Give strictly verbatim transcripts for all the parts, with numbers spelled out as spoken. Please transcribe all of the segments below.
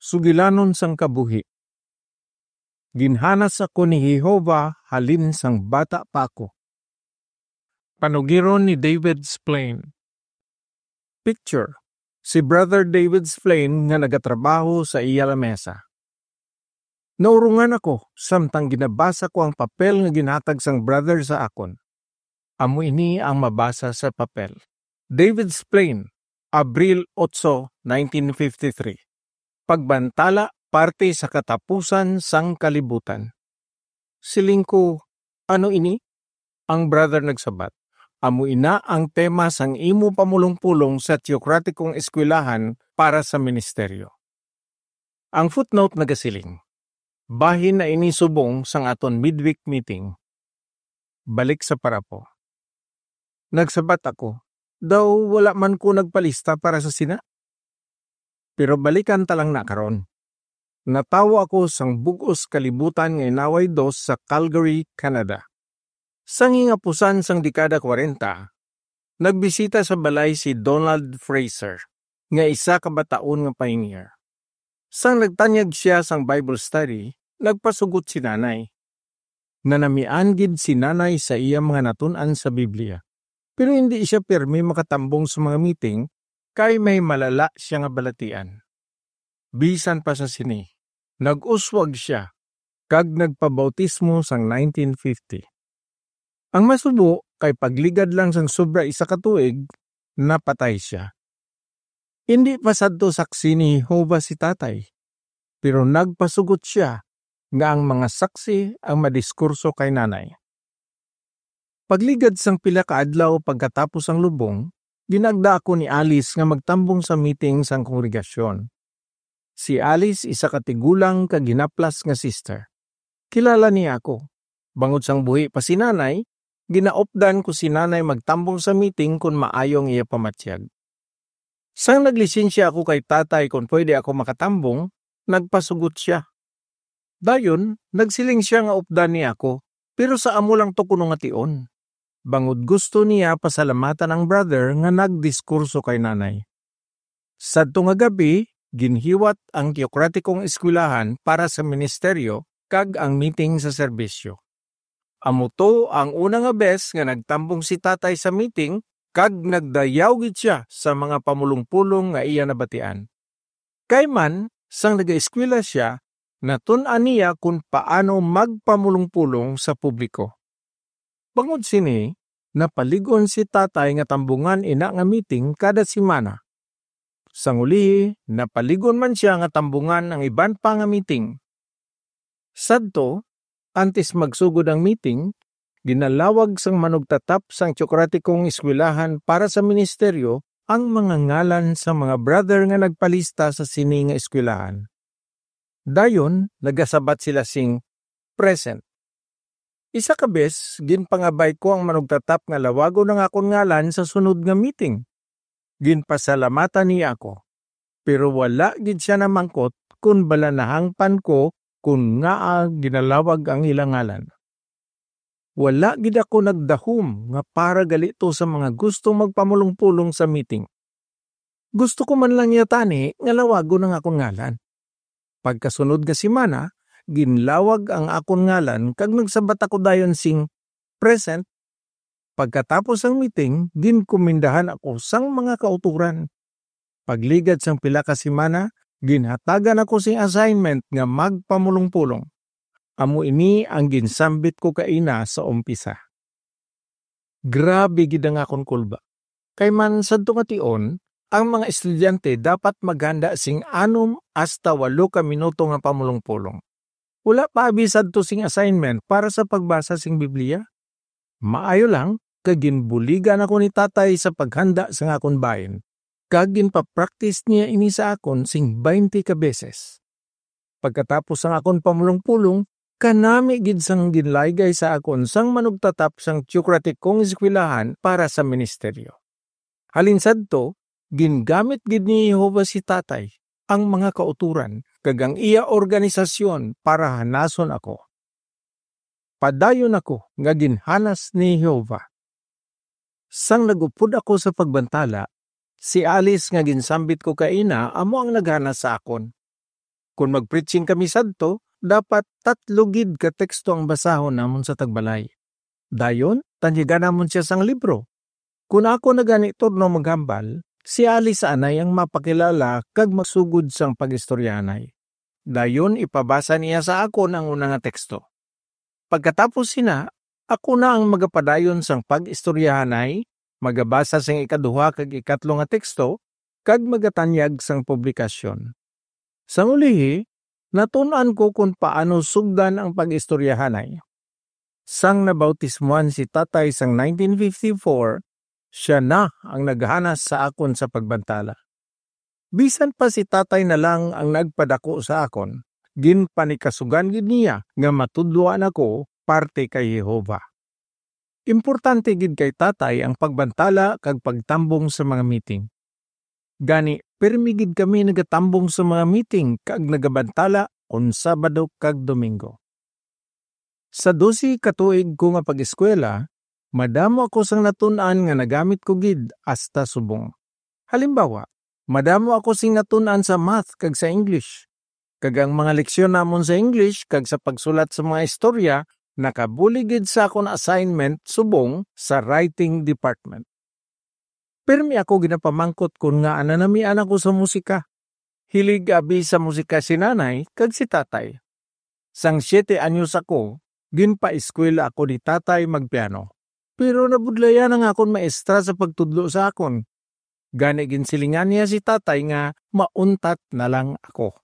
sugilanon sang kabuhi. Ginhanas ako ni Jehovah halin sang bata pa ako. Panugiron ni David Splane. Picture, si Brother David Splane nga nagatrabaho sa iya lamesa. Naurungan ako samtang ginabasa ko ang papel nga ginhatag sang brother sa akon. Amo ini ang mabasa sa papel. David Splane, Abril otso, nineteen fifty-three. Pagbantala parte sa katapusan sang kalibutan. Siling ko, "Ano ini?" Ang brother nagsabat, "Amo ina ang tema sang imo pamulong-pulong sa teokratikong eskwelahan para sa ministeryo." Ang footnote nagasiling, "Bahin na ini subong sang aton midweek meeting." Balik sa parapo. Nagsabat ako, "Daw wala man ko nagpalista para sa sina." Pero balikan ta lang na karon. Natawo ako sang bug-os kalibutan nga inaway dos sa Calgary, Canada. Sang hingapusan sang dekada kwarenta, nagbisita sa balay si Donald Fraser, nga isa ka bataon nga pioneer. Sang nagtanyag sia sang Bible study, nagpasugot si Nanay. Nanamian gid si Nanay sa iya mga natun-an sa Biblia, pero hindi sia pirmi makatambong sa mga meeting kay may malala sia nga balatian. Bisan pa sa sini, nag-uswag sia kag nagpabautismo sang nineteen fifty. Ang masubo kay pagligad lang sang sobra isa ka tuig, napatay sia. Indi pa sadto saksi ni Jehovah si Tatay, pero nagpasugot sia nga ang mga saksi ang madiskurso kay Nanay. Pagligad sang pila ka adlaw pagkatapos ang lubong, ginagda ako ni Alice nga magtambong sa meeting sang kongregasyon. Si Alice isa ka tigulang kag hinaplas nga sister. Kilala niya ako. Bangod sang buhi pa si Nanay, ginaupdan ko si Nanay magtambong sa meeting kon maayo ang iya pamatyag. Sang naglisensya ako kay Tatay kon pwede ako makatambong, nagpasugot sia. Dayon, nagsiling sia nga updan niya ako, pero sa amo lang to kuno nga tion, bangod gusto niya pasalamatan ang brother nga nagdiskurso kay Nanay. Sadto nga gab-i, ginhiwat ang teokratikong eskwelahan para sa ministeryo kag ang meeting sa serbisyo. Amo to ang una nga bes nga nagtambong si Tatay sa meeting kag nagdayaw gid sia sa mga pamulong-pulong nga iya nabatian. Kay man, sang nagaeskwela sia, natun-an niya kon paano magpamulong-pulong sa publiko. Bangod sini, napalig-on si Tatay nga tambungan ina nga meeting kada semana. Sang ulihi, napalig-on man sia nga tambungan ang iban pa nga meeting. Sadto, antes magsugod ang meeting, ginalawag sang manugtatap sang teokratikong eskwelahan para sa ministeryo ang mga ngalan sang mga brother nga nagpalista sa sini nga eskwelahan. Dayon, nagasabat sila sing "Present." Isa ka bes, ginpangabay ko ang manugtatap nga lawagon ang akon ngalan sa sunod nga meeting. Ginpasalamatan niya ako, pero wala gid sia namangkot kon bala nahangpan ko kon ngaa ginalawag ang ila ngalan. Wala gid ako nagdahom nga para gali to sa mga gusto magpamulong-pulong sa meeting. Gusto ko man lang niya tani nga lawagon ang akon ngalan. Pagkasunod nga semana, ginlawag ang akon ngalan kag nagsabat ako dayon sing "Present." Pagkatapos sang meeting, ginkumindahan ako sang mga kautoran. Pagligad sang pila ka semana, ginhatagan ako sing assignment nga magpamulong-pulong. Amo ini ang ginsambit ko kaina sa umpisa. Grabe gid ang akon kulba. Kay man sadto nga tion, ang mga estudyante dapat maghanda sing anom hasta walo ka minuto nga pamulong-pulong. Wala pa abi sadto sing assignment para sa pagbasa sing Biblia. Maayo lang, kag ginbuligan ako ni Tatay sa paghanda sang akon bahin, kag ginpapraktis niya ini sa akon sing baynte ka beses. Pagkatapos sang akon pamulong-pulong, kanami gid sang ginlaygay sa akon sang manugtatap sang teokratikong eskwelahan para sa ministeryo. Halin sadto, gingamit gid ni Jehovah si Tatay, ang mga kautoran, kag ang iya organisasyon para hanason ako. Padayon ako nga ginhanas ni Jehovah. Sang nag-upod ako sa pagbantala, si Alice nga ginsambit ko kaina amo ang naghanas sa akon. Kon mag-preaching kami sadto, dapat tatlo gid ka teksto ang basahon namon sa tagbalay. Dayon, tanyagan namon sia sang libro. Kon ako na gani turno maghambal, si Alice anay ang mapakilala kag magsugod sang pag-istoryahanay. Dayon, ipabasa niya sa akon ang una nga teksto. Pagkatapos sina, ako na ang magapadayon sang pag-istoryahanay, magabasa sang ikaduha kag ikatlo nga teksto, kag magatanyag sang publikasyon. Sang ulihi, natun-an ko kon paano sugdan ang pag-istoryahanay. Sang nabautismuhan si Tatay sang nineteen fifty-four, sia na ang naghanas sa akon sa pagbantala. Bisan pa si Tatay na lang ang nagpadako sa akon, ginpanikasugan gid niya nga matudloan ako parte kay Jehovah. Importante gid kay Tatay ang pagbantala kag pagtambong sa mga meeting. Gani, pirmi gid kami nagatambong sa mga meeting kag nagabantala kon Sabado kag Domingo. Sa dose ka tuig ko nga pag-eskwela, madamo ako sang natun-an nga nagamit ko gid hasta subong. Halimbawa, madamo ako sing natun-an sa math kag sa English. Kag ang mga leksyon namon sa English kag sa pagsulat sa mga istorya nakabulig gid sa akon assignment subong sa writing department. Pirmi ako ginapamangkot kon ngaa nanamian ako sa musika. Hilig abi sa musika si Nanay kag si Tatay. Sang siyete anyos ako, ginpaeskwela ako ni Tatay magpiano. Pero nabudlayan ang akon maestra sa pagtudlo sa akon. Gani ginsilingan niya si Tatay nga mauntat na lang ako.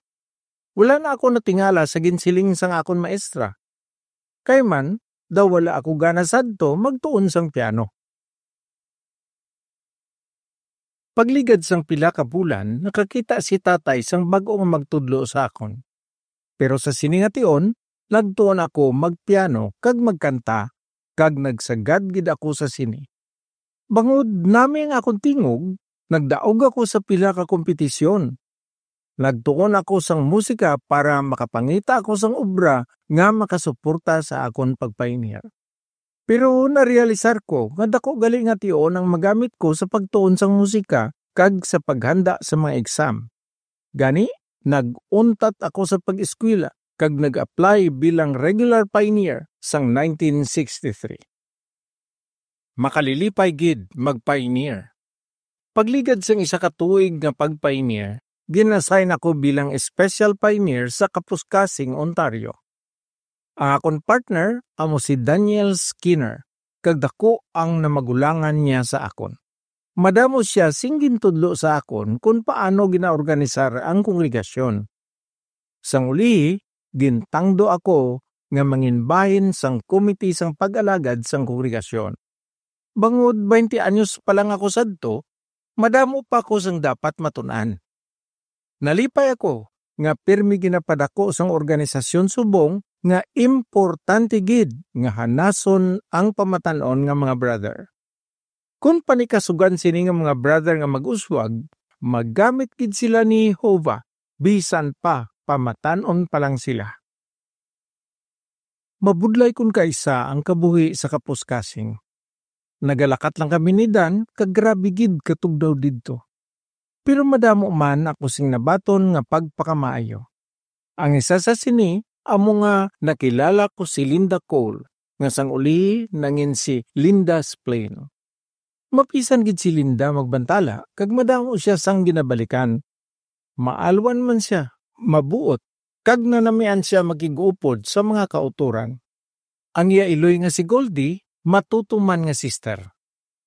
Wala na ako natingala sa ginsiling sang akon maestra. Kay man, daw wala ako gana sadto magtuon sang piano. Pagligad sang pila ka bulan, nakakita si Tatay sang bag-o nga magtudlo sa akon. Pero sa sini nga tion, nagtuon ako magpiano kag magkanta, kag nagsagad gid ako sa sini. Bangod nami ang akon tingog, nagdaog ako sa pila ka kompetisyon. Nagtuon ako sang musika para makapangita ako sang obra nga makasuporta sa akon pagpainir. Pero narealisar ko nga daku gali nga tion ang magamit ko sa pagtuon sang musika kag sa paghanda sa mga exam. Gani, nag-untat ako sa pag-eskwela kag nag-apply bilang regular pioneer sang nineteen sixty-three. Makalilipay gid mag-pioneer. Pagligad sang isa ka tuig nga pag-pioneer, gin-assign ako bilang special pioneer sa Kapuskasing, Ontario. Ang akon partner amo si Daniel Skinner, kag daku ang namagulangan niya sa akon. Madamo sia sing gintudlo sa akon kon paano ginaorganisar ang kongregasyon. Sang uli, gintangdo ako nga manginbahin sang komite sang pag-alagad sang kongregasyon. Bangod twenty anyos pa lang ako sadto, madamo pa ako sang dapat matun-an. Nalipay ako nga pirmi ginapadako sang organisasyon subong nga importante gid nga hanason ang pamatan-on nga mga brother. Kon panikasugan sini nga mga brother nga mag-uswag, magamit gid sila ni Jehovah bisan pa pamatan-on pa lang sila. Mabudlay kon kaisa ang kabuhi sa Kapuskasing. Nagalakat lang kami ni Dan kag grabe gid katugdaw didto. Pero madamo man ako sing nabaton nga pagpakamaayo. Ang isa sa sini amo nga nakilala ko si Linda Cole, nga sang uli nangin si Linda Splane. Mapisan gid si Linda magbantala kag madamo sia sang ginabalikan. Maalwan man sia, mabuot, kag nanamian sia makig-upod sa mga kautoran. Ang iya iloy nga si Goldie matutuman nga sister.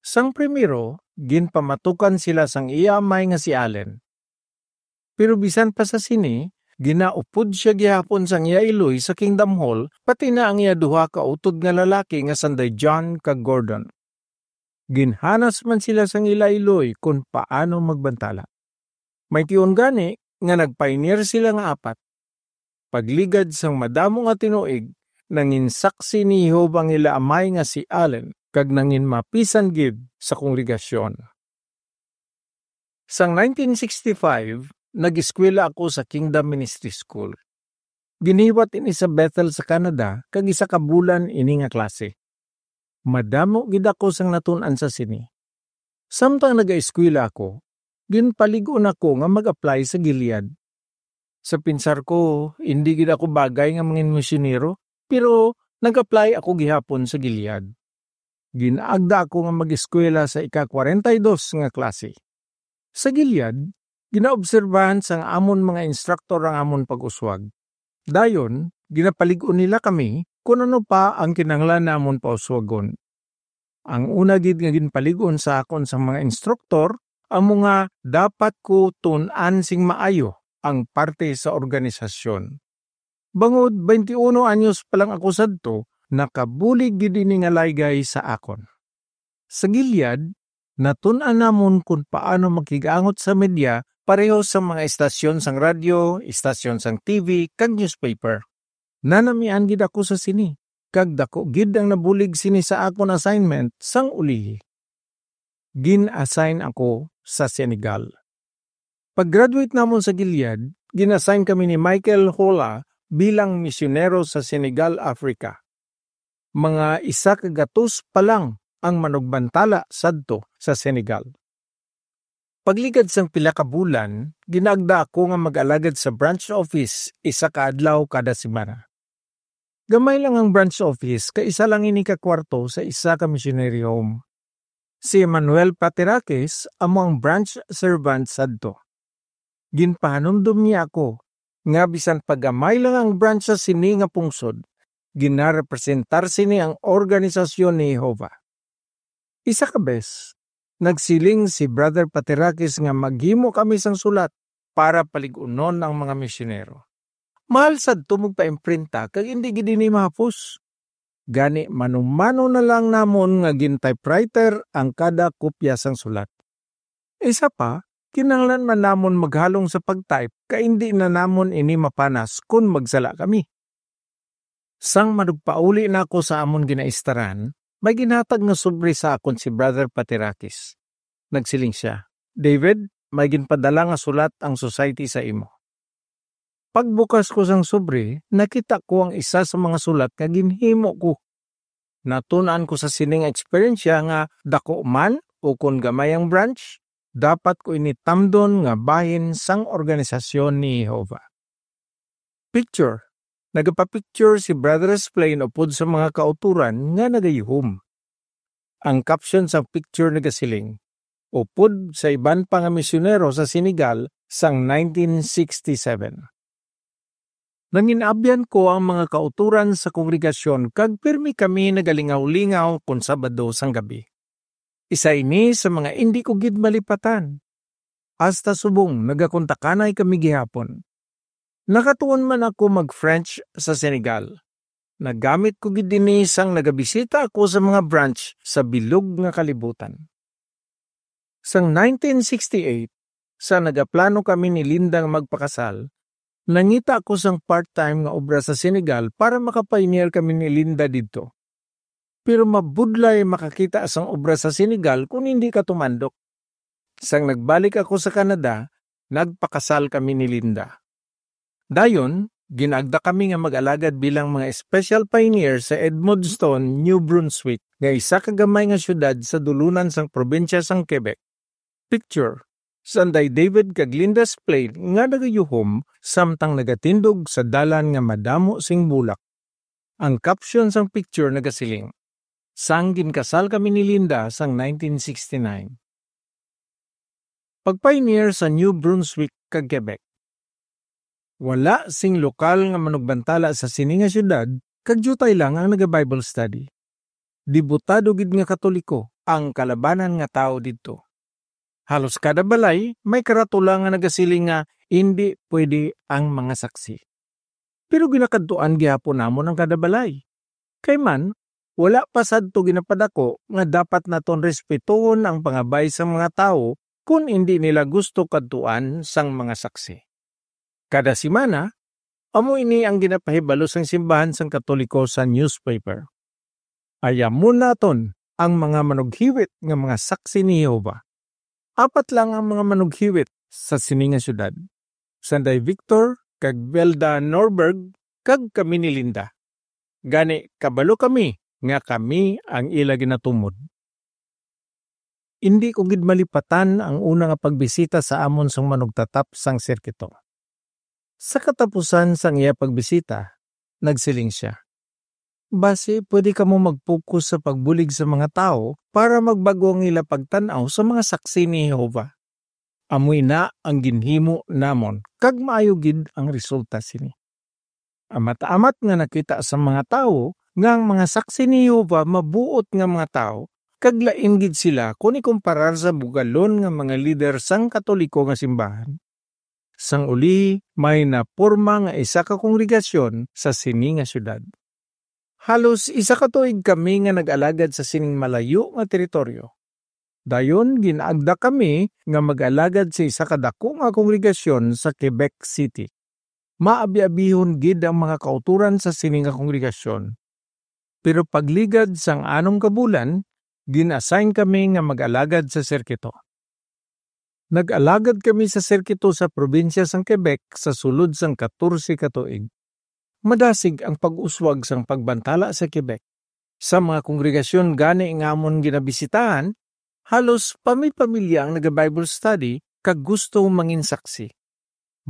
Sang primero, ginpamatukan sila sang iya amay nga si Allen. Pero bisan pa sa sini, ginaupod sia gihapon sang iya iloy sa Kingdom Hall, pati na ang iya duha ka utod nga lalaki nga sanday John kag Gordon. Ginhanas man sila sang ila iloy kon paano magbantala. May tion gani nga nagpainir sila nga apat. Pagligad sang madamo nga tinuig, nangin saksi ni Jehovah ang ila amay nga si Allen, kag nangin mapisan gid sa kongregasyon. Sang nineteen sixty-five, nag-eskwela ako sa Kingdom Ministry School. Ginhiwat ini sa Bethel sa Canada, kag isa ka bulan ini nga klase. Madamo gid ako sang natun-an sa sini. Samtang nagaeskwela ako, ginpalig-on ako nga mag-apply sa Gilead. Sa pinsar ko, indi gid ako bagay nga mangin misyonero, pero nag-apply ako gihapon sa Gilead. Ginaagda ako nga mag-eskwela sa ika-kwarenta y dos nga klase. Sa Gilead, ginaobserbahan sang amon mga instruktor ang amon pag-uswag. Dayon, ginapalig-on nila kami kon ano pa ang kinahanglan namon pauswagon. Ang una gid nga ginpalig-on sa akon sang mga instruktor amo nga dapat ko tun-an sing maayo ang parte sa organisasyon. Bangod twenty-uno anyos pa lang ako sadto, nakabulig gid ini nga laygay sa akon. Sa Gilead, natun-an namon kon paano makig-angot sa media pareho sa mga estasyon sang radyo, estasyon sang T V, kag newspaper. Nanamian gid ako sa sini, kag daku gid ang nabulig sini sa akon assignment sang ulihi. Gin-assign ako sa Senegal. Pag-graduate namon sa Gilead, gin-assign kami ni Michael Hola bilang misyonero sa Senegal, Africa. Mga isa ka gatos pa lang ang manugbantala sadto sa Senegal. Pagligad sang pila ka bulan, ginaagda ako nga mag-alagad sa branch office isa ka adlaw kada semana. Gamay lang ang branch office, kay isa lang ini ka kwarto sa isa ka missionary home. Si Emmanuel Paterakis amo ang branch servant sadto. Ginpahanumdom niya ako nga bisan pa gamay lang ang branch sa sini nga pungsod, ginarepresentar sini ang organisasyon ni Jehovah. Isa ka bes, nagsiling si Brother Paterakis nga maghimo kami sang sulat para palig-unon ang mga misyonero. Mahal sadto magpaimprinta kag indi gid ini mahapos. Gani, manumano na lang namon nga gin-typewriter ang kada kopya sang sulat. Isa pa, kinahanglan man namon maghalong sa pag-type kay indi na namon ini mapanas kon magsala kami. Sang manugpauli na ako sa amon ginaistaran, may ginhatag nga sobre sa akon si Brother Paterakis. Nagsiling sia, "David, may ginpadala nga sulat ang society sa imo." Pagbukas ko sang sobre, nakita ko ang isa sa mga sulat nga ginhimo ko. Natun-an ko sa sining eksperyensya nga dako man o kon gamay ang branch, dapat ko ini tamdon nga bahin sang organisasyon ni Jehovah. Picture. Nagapapicture si Brother Splane upod sa mga kautoran nga nagayuhom. Ang caption sang picture nagasiling, "Upod sa iban pa nga misyonero sa Senegal sang nineteen sixty-seven." Nanginabyan ko ang mga kautoran sa kongregasyon kag pirmi kami nagalingaw-lingaw kon Sabado sang gabi. Isa ini sa mga indi ko gid malipatan. Hasta subong nagakontakanay kami gihapon. Nakatuon man ako mag-French sa Senegal. Nagamit ko gid ini sang nagabisita ako sa mga branch sa bilog nga kalibutan. Sang nineteen sixty-eight, sa nagaplano kami ni Linda nga magpakasal, nangita ako sang part-time nga obra sa Senegal para maka-pioneer kami ni Linda didto. Pero mabudlay makakita sang obra sa Senegal kon hindi ka tumandok. Sang nagbalik ako sa Canada, nagpakasal kami ni Linda. Dayon, ginagda kami nga mag-alagad bilang mga special pioneer sa Edmundston, New Brunswick, nga isa ka gamay nga siyudad sa dulunan sang probinsya sang Quebec. Picture, Sanday David kag Linda Splane nga nagayuhom samtang nagatindog sa dalan nga madamo sing bulak. Ang caption sang picture nagasiling, "Sang ginkasal kami ni Linda sang nineteen sixty-nine." Pagpioneer sa New Brunswick kag Quebec. Wala sing lokal nga manugbantala sa sini nga siyudad, kag diutay lang ang naga-Bible study. Debotado gid nga Katoliko ang kalabanan nga tawo didto. Halos kada balay may karatula nga nagasiling nga indi pwede ang mga saksi. Pero ginakadtuan gihapon namon ang kada balay. Kay man, wala pa sadto ginapadako nga dapat naton respetuhon ang pangabay sang mga tawo kon indi nila gusto kadtuan sang mga saksi. Kada semana, amo ini ang ginapahibalo sang simbahan sang Katoliko sa newspaper. Ayamon naton ang mga manughiwit nga mga saksi ni Jehovah. Apat lang ang mga manughiwit sa sini nga siyudad, Sanday Victor kag Velda Norberg kag kami ni Linda. Gani, kabalo kami nga kami ang ila ginatumod. Indi ko gid malipatan ang una nga pagbisita sa amon sang manugtatap sang sirkito. Sa katapusan sang iya pagbisita, nagsiling sia, "Basi pwede kamo mag-focus sa pagbulig sa mga tawo para magbag-o ang ila pagtan-aw sa mga saksi ni Jehovah. Amo ina ang ginhimo namon, kag maayo gid ang resulta sini." Amat-amat nga nakita sa mga tawo nga ang mga saksi ni Jehovah mabuot nga mga tawo, kag lain gid sila kon ikumparar sa bugalon nga mga lider sang Katoliko nga simbahan. Sang uli, may naporma nga isa ka kongregasyon sa sini nga siyudad. Halos isa ka tuig kami nga nag-alagad sa sining malayo nga teritoryo. Dayon, gin-agda kami nga mag-alagad sa isa ka daku nga kongregasyon sa Quebec City. Maabiabihon gid ang mga kautoran sa sini nga kongregasyon. Pero pagligad sang anom ka bulan, gin-assign kami nga mag-alagad sa sirkito. Nag-alagad kami sa sirkito sa probinsya sang Quebec sa sulod sang katorse ka tuig. Madasig ang pag-uswag sang pagbantala sa Quebec. Sa mga kongregasyon gani nga amon ginabisitahan, halos pami-pamilya ang naga-Bible study kag gusto mangin saksi.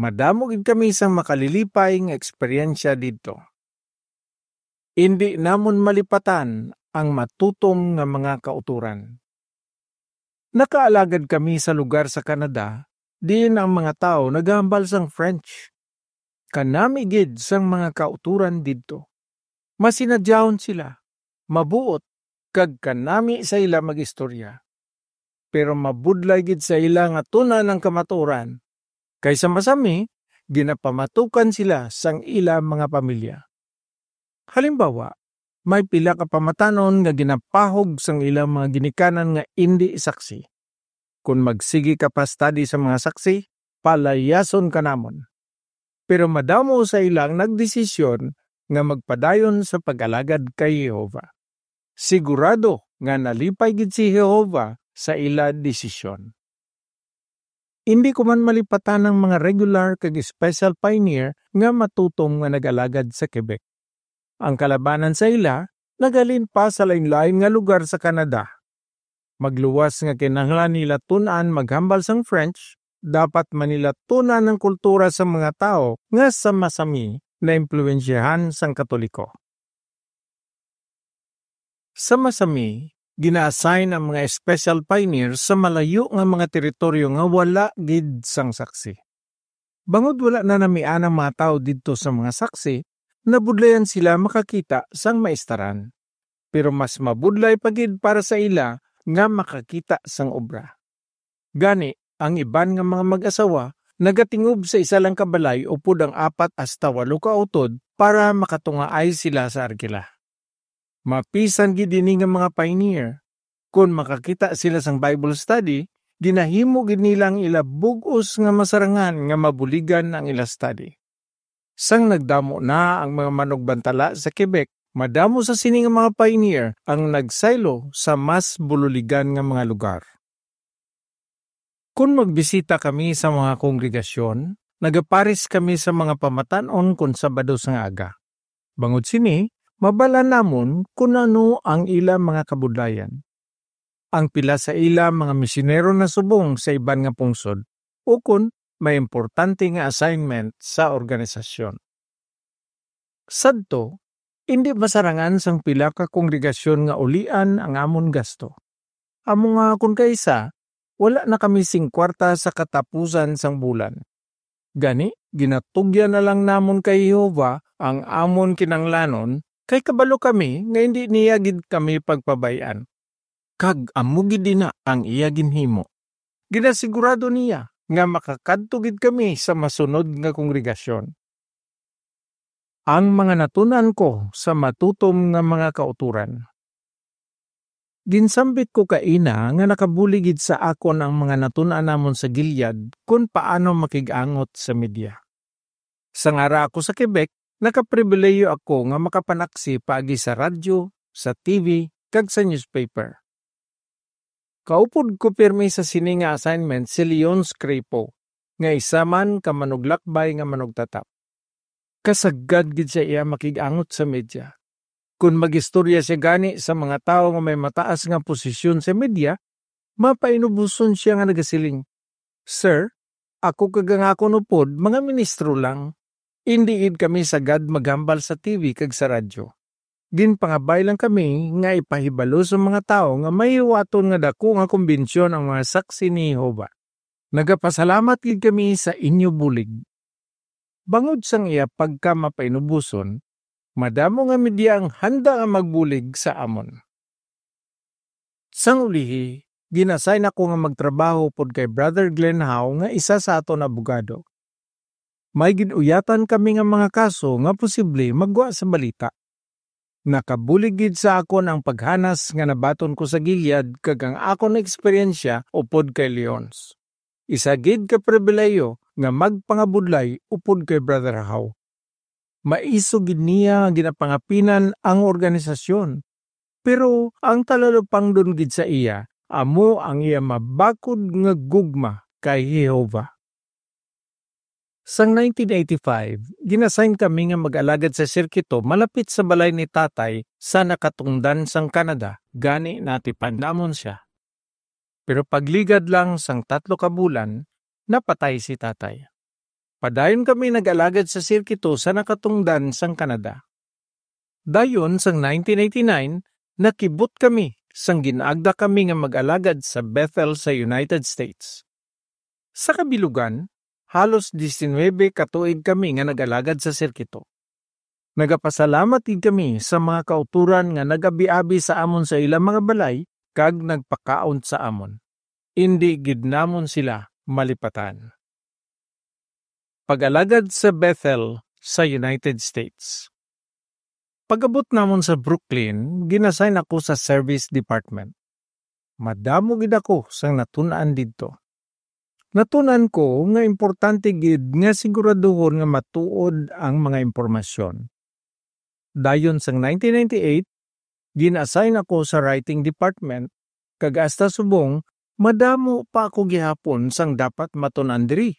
Madamo gid kami sang makalilipay nga eksperyensya didto. Indi namon malipatan ang matutom nga mga kautoran. Nakaalagad kami sa lugar sa Canada diin ang mga tawo nagahambal sang French. Kanami gid sang mga kautoran didto. Masinadyahon sila, mabuot, kag kanami sa ila mag-istorya. Pero mabudlay gid sa ila nga tun-an ang kamatuoran, kay sa masami ginapamatukan sila sang ila mga pamilya. Halimbawa, may pila ka pamatanon nga ginapahog sang ilang mga ginikanan nga indi saksi. Kon magsigi ka pa study sa mga saksi, palayason ka namon. Pero madamo sa ila ang nagdesisyon nga magpadayon sa pag-alagad kay Jehovah. Sigurado nga nalipay gid si Jehovah sa ila desisyon. Indi ko man malipatan ang mga regular kag special pioneer nga matutom nga nag-alagad sa Quebec. Ang kalabanan sa ila naghalin pa sa lain-lain nga lugar sa Canada. Magluwas nga kinahanglan nila tun-an maghambal sang French, dapat man nila tun-an ang kultura sa mga tawo nga sa masami naimpluwensyahan sang Katoliko. Sa masami, gina-assign ang mga special pioneer sa malayo nga mga teritoryo nga wala gid sang saksi. Bangod wala na namian ang mga tawo didto sa mga saksi, nabudlayan sila makakita sang maistaran. Pero mas mabudlay pa gid para sa ila nga makakita sang obra. Gani, ang iban nga mga mag-asawa nagatingob sa isa lang ka balay upod ang apat hasta walo ka utod para makatungaay sila sa arkila. Mapisan gid ini nga mga pioneer. Kon makakita sila sang Bible study, ginahimo gid nila ang ila bug-os nga masarangan nga mabuligan ang ila study. Sang nagdamo na ang mga manugbantala sa Quebec, madamo sa sini nga mga pioneer ang nagsaylo sa mas bululigan nga mga lugar. Kon magbisita kami sa mga kongregasyon, nagapares kami sa mga pamatan-on kon Sabado sang aga. Bangod sini, mabal-an namon kon ano ang ila mga kabudlayan. Ang pila sa ila mga misyonero nasubong sa iban nga pungsod, ukon may importante nga assignment sa organisasyon. Sadto, indi masarangan sang pila ka kongregasyon nga ulian ang amon gasto. Amo nga kon kaisa, wala na kami sing kwarta sa katapusan sang bulan. Gani, ginatugyan na lang namon kay Jehovah ang amon kinahanglanon, kay kabalo kami nga indi niya gid kami pagpabay-an. Kag amo gid ina ang iya ginhimo. Ginasigurado niya nga makakadto gid kami sa masunod nga kongregasyon. Ang mga natun-an ko sa matutom nga mga kautoran. Ginsambit ko kaina nga nakabulig gid sa akon ang mga natun-an namon sa Gilead kon paano makig-angot sa media. Sang ara ako sa Quebec, nakapribilehiyo ako nga makapanaksi paagi sa radyo, sa T V, kag sa newspaper. Kaupod ko pirmi sa sini nga assignment si Leon Screpo, nga isa man ka manuglakbay nga manugtatap. Kasagad gid sa iya makig-angot sa media. Kon mag-istorya sia gani sa mga tawo nga may mataas nga posisyon sa media, mapainuboson sia nga nagasiling, "Sir, ako kag ang akon upod mga ministro lang. Indi gid kami sagad maghambal sa T V kag sa radyo. Ginpangabay lang kami nga ipahibalo sa mga tawo nga mahiwaton nga daku nga kumbensyon ang mga Saksi ni Jehovah. Nagapasalamat gid kami sa inyo bulig. Bangod sang iya pagkamapainuboson, madamo nga media ang handa nga magbulig sa amon. Sang ulihi, gin-assign ako nga magtrabaho upod kay Brother Glenn Howe nga isa sa aton abogado. May gin-uyatan kami nga mga kaso nga posible maggwa sa balita. Nakabulig gid sa akon ang paghanas nga nabaton ko sa Gilead kag ang akon eksperyensya upod kay Leons. Isa gid ka pribilehiyo nga magpangabudlay upod kay Brother Howe. Maisog gid niya nga ginapangapinan ang organisasyon, pero ang talalupangdon gid sa iya amo ang iya mabakod nga gugma kay Jehovah. Sang nineteen eighty-five, gin-assign kami nga mag-alagad sa sirkito malapit sa balay ni Tatay sa nakatungdan sang Canada, gani natipan namon sia. Pero pagligad lang sang tatlo ka bulan, napatay si Tatay. Padayon kami nag-alagad sa sirkito sa nakatungdan sang Canada. Dayon, sang nineteen eighty-nine, nakibot kami sang gin-agda kami nga mag-alagad sa Bethel sa United States. Sa kabilugan, halos diecinuebe ka tuig kami nga nag-alagad sa sirkito. Nagapasalamat gid kami sa mga kautoran nga nag-abi-abi sa amon sa ila mga balay kag nagpakaon sa amon. Indi gid namon sila malipatan. Pag-alagad sa Bethel sa United States. Pag-abot namon sa Brooklyn, gin-assign ako sa service department. Madamo gid ako sang natun-an didto. Natun-an ko nga importante gid nga siguraduhon nga matuod ang mga impormasyon. Dayon sang nineteen ninety-eight, gin-assign ako sa writing department, kag hasta subong madamo pa ako gihapon sang dapat matun-an diri.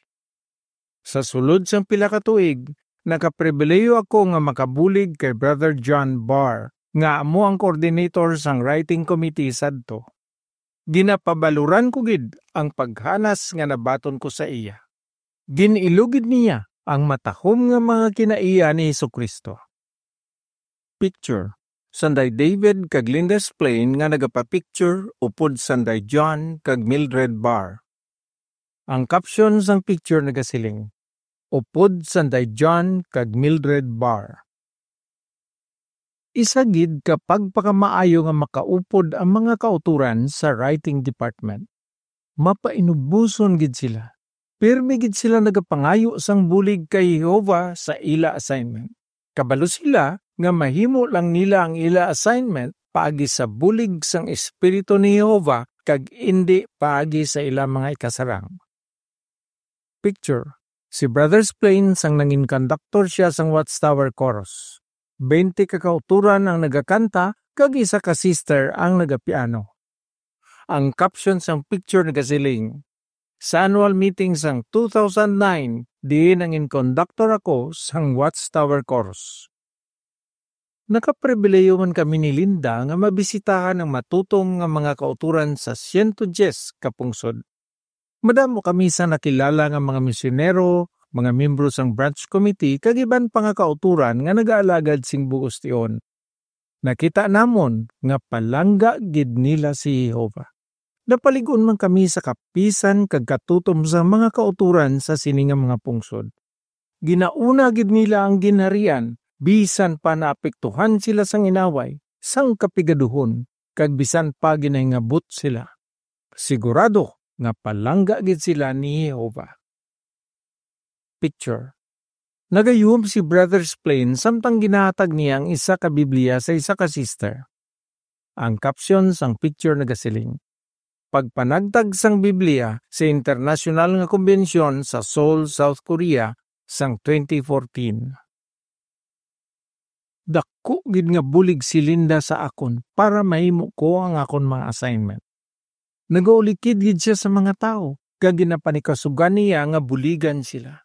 Sa sulod sang pila ka tuig, nakapribilehiyo ako nga makabulig kay Brother John Barr, nga amo ang coordinator sang writing committee sadto. Ginapabaloran ko gid ang paghanas nga nabaton ko sa iya. Gin-ilo gid niya ang matahom nga mga kinaiya ni Jesu-Cristo. Picture, Sanday David kag Linda Splane nga nagapapicture upod Sanday John kag Mildred Barr. Ang caption sang picture nagasiling, "Upod Sanday John kag Mildred Barr." Isa gid ka pagpakamaayo nga makaupod ang mga kautoran sa writing department. Mapainuboson gid sila. Pirmi gid sila nagapangayo sang bulig kay Jehovah sa ila assignment. Kabalo sila nga mahimo lang nila ang ila assignment paagi sa bulig sang Espiritu ni Jehovah kag indi paagi sa ila mga ikasarang. Picture, si Brother Splane sang nangin konduktor sia sang Watchtower Chorus. Twenty ka kautoran ang nagakanta kag isa ka sister ang nagapiano. Ang caption sang picture nagasiling, "Sa annual meeting sang two thousand nine, diin nangin konduktor ako sang Watchtower Chorus." Nakapribilehiyo man kami ni Linda nga mabisitahan ang matutom nga mga kautoran sa siyento diyes ka pungsod. Madamo kami sa nakilala nga mga misyonero, mga miyembro sang branch committee, kag iban pa nga kautoran nga nagaalagad sing bug-os tion. Nakita namon nga palangga gid nila si Jehovah. Napalig-on man kami sa kapisan kag katutom sa mga kautoran sa sini nga mga pungsod. Ginauna gid nila ang ginharian, bisan pa naapektuhan sila sang inaway, sang kapigaduhon, kag bisan pa ginahingabot sila. Sigurado nga palangga gid sila ni Jehovah. Picture, nagayuhom si Brother Splane samtang ginahatag niya ang isa ka Biblia sa isa ka sister. Ang caption sang picture nagasiling, "Pagpanagtag sang Biblia sa internasyonal nga kombensyon sa Seoul, South Korea, sang twenty fourteen." Dako gid nga bulig si Linda sa akon para mahimo ko ang akon mga assignment. Nagaulikid gid sia sa mga tawo, kag ginapanikasugan niya nga buligan sila.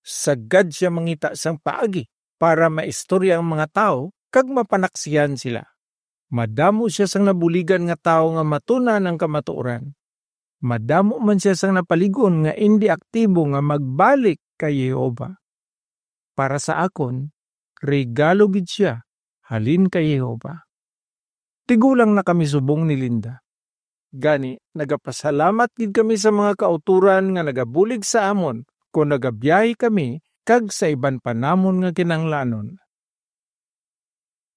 Sagad sia mangita sang paagi para maistorya ang mga tawo kag mapanaksihan sila. Madamo sia sang nabuligan nga tawo nga matun-an ang kamatuoran. Madamo man sia sang napalig-on nga indi aktibo nga magbalik kay Jehovah. Para sa akon, regalo gid sia halin kay Jehovah. Tigulang na kami subong ni Linda. Gani, nagapasalamat gid kami sa mga kautoran nga nagabulig sa amon kon nagabiyahe kami kag sa iban pa namon nga kinahanglanon.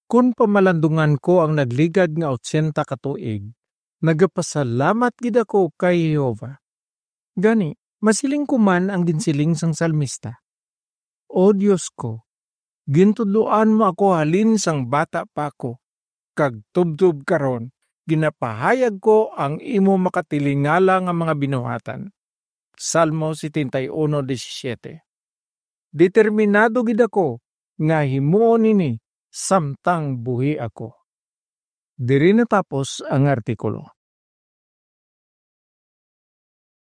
Kon pamalandungan ko ang nagligad nga otsenta ka tuig, nagapasalamat gid ako kay Jehovah. Gani, masiling ko man ang ginsiling sang salmista, "O Dios ko, gintudloan mo ako halin sang bata pa ako, kag tubtob karon ginapahayag ko ang imo makatilingala nga mga binuhatan." Salmo setenta y uno diecisiete. Determinado gid ako nga himuon ini samtang buhi ako. Diri natapos ang artikulo.